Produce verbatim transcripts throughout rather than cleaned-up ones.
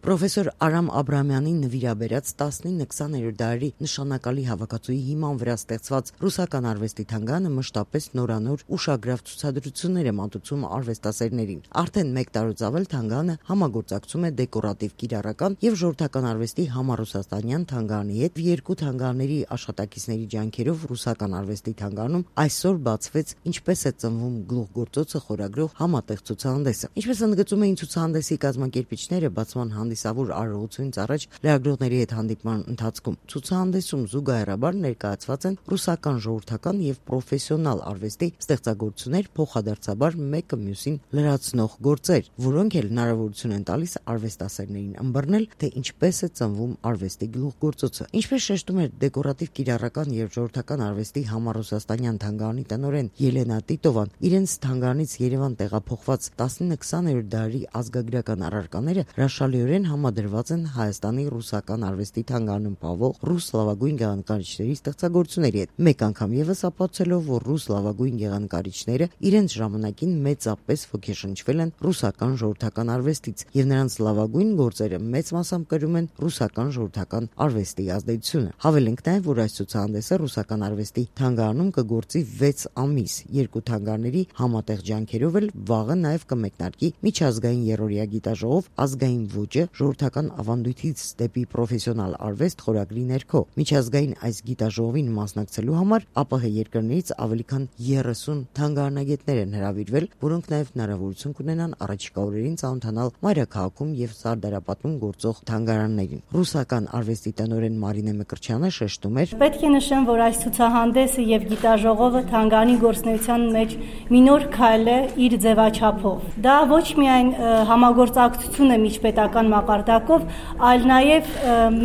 Պրոֆեսոր Արամ Աբրամյանի նվիրաբերած տասնինը-քսաներորդ դարերի նշանակալի հավաքածուի հիման վրա ստեղծված ռուսական արվեստի թանգարանը մշտապես նորանոր ուշագրավ ցուցադրություններ է մատուցում արվեստասերներին։ Արդեն մեկ տարուց ավել թանգարանը համագործակցում է դեկորատիվ կիրառական եւ ժողովրդական արվեստի համառուսաստանյան թանգարանի հետ։ Երկու թանգարանների աշխատակիցների ջանքերով ռուսական արվեստի թանգարանում այսօր բացվեց «Ինչպես է ծնվում գլուխգործոցը» խորագրով համատեղ ցուցահանդեսը։ Ինչպես ընդգծում էին ցուցահանդեսի կազմակերպիչները, բացման հանդիսավոր արարողությունից առաջ լրագրողների հետ հանդիպման ընթացքում ցուցահանդեսում զուգահեռաբար ներկայացված են ռուսական ժողովրդական եւ պրոֆեսիոնալ արվեստի ստեղծագործություններ, փոխադարձաբար մեկը մյուսին լրացնող գործեր, որոնք էլ հնարավորություն են տալիս արվեստասերներին ըմբռնել, թե ինչպես է ծնվում արվեստի գլուխգործոցը։ Ինչպես շեշտում էր դեկորատիվ կիրառական եւ ժողովրդական արվեստի համառուսաստանյան թանգարանի տնօրեն Ելենա Տիտովան, իրենց թանգարանից Երևան տեղափոխված տասնինը-քսաներորդ դարերի ազգագրական առարկաները հրաշալիորեն համադրված են Հայաստանի ռուսական արվեստի թանգարանում պահվող ռուս լավագույն գեղանկարիչների ստեղծագործությունների հետ։ Մեկ անգամ եւս ապացուցելով, որ ռուս լավագույն գեղանկարիչները իրենց ժամանակին մեծապես ոգեշնչվել են ռուսական ժողովրդական արվեստից, եւ նրանց լավագույն գործերը մեծ մասամբ կրում են ռուսական ժողովրդական արվեստի ազդեցությունը։ Հավելենք նաեւ, որ այս ցուցահանդեսը ռուսական արվեստի թանգարանում կգործի վեց ամիս։ Երկու թանգարանների համատեղ ջանքերով էլ վաղը նաեւ կմեկնարկի միջազգային երրորդյա գիտաժողով ազգային ոճը ժողովրդական ավանդույթից դեպի պրոֆեսիոնալ արվեստ խորագրի ներքո։ Միջազգային այս գիտաժողովին մասնակցելու համար ԱՊՀ երկրներից ավելի քան երեսուն թանգարանագետներ են հրավիրվել, որոնք նաեւ հնարավորություն կունենան առաջիկա օրերին ծանոթանալ մայրաքաղաքում եւ Սարդարապատում գործող թանգարաններին։ Ռուսական արվեստի տնօրեն Մարինե Մկրտչյանը շեշտում էր. Պետք է նշեմ, որ այս ցուցահանդեսը եւ գիտաժողովը թանգարանի գործունեության մեջ մի նոր քայլ է իր ձևաչափով։ Դա ոչ միայն համագործակցություն է միջպետական մակարդակով, այլ նաեւ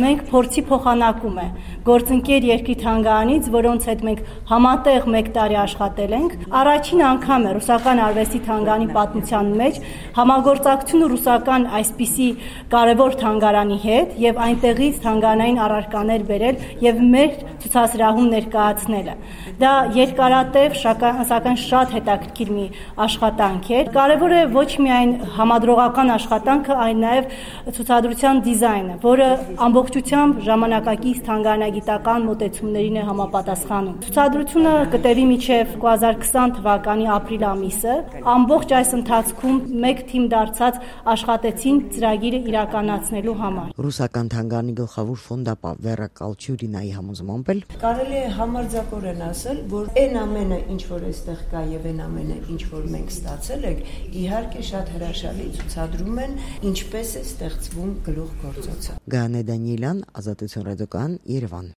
մենք փորձի փոխանակում է գործընկեր երկրի թանգարանից, որոնց հետ մենք համատեղ մեկ տարի աշխատել ենք։ Առաջին անգամ է ռուսական արվեստի թանգարանի պատմության մեջ համագործակցությունը ռուսական այսպիսի կարևոր թանգարանի հետ եւ այնտեղից թանգարանային առարկաներ բերել եւ մեր ցուցասրահում ներկայացնելը։ Դա երկարատև, սակայն շատ հետաքրքիր մի աշխատանք է։ Կարևոր է ոչ միայն համադրողական աշխատանքը, այլ նաեւ ցուցադրության դիզայնը, որը ամբողջությամբ ժամանակակից թանգարանագիտական մոտեցումներին է համապատասխանում։ Ցուցադրությունը կտևի մինչև երկու հազար քսան թվականի ապրիլ ամիսը։ Ամբողջ այս ընթացքում մեկ թիմ դարձած աշխատեցին ծրագիրը իրականացնելու համար։ Ռուսական թանգարանի գլխավոր ֆոնդապահ Վերա Կալչյուրինայի համոզմամբ էլ կարելի է համարձակորեն ասել, որ այն ամենը, ինչ որ այստեղ կա եւ այն ամենը, ինչ որ մենք ստացել ենք, իհարկե շատ հրաշալի ցուցադրում են, ինչպես է ստեղծվում գլուխգործոցը։ Գայանե Դանիելյան, Ազատություն ռադիոկայան, Երևան։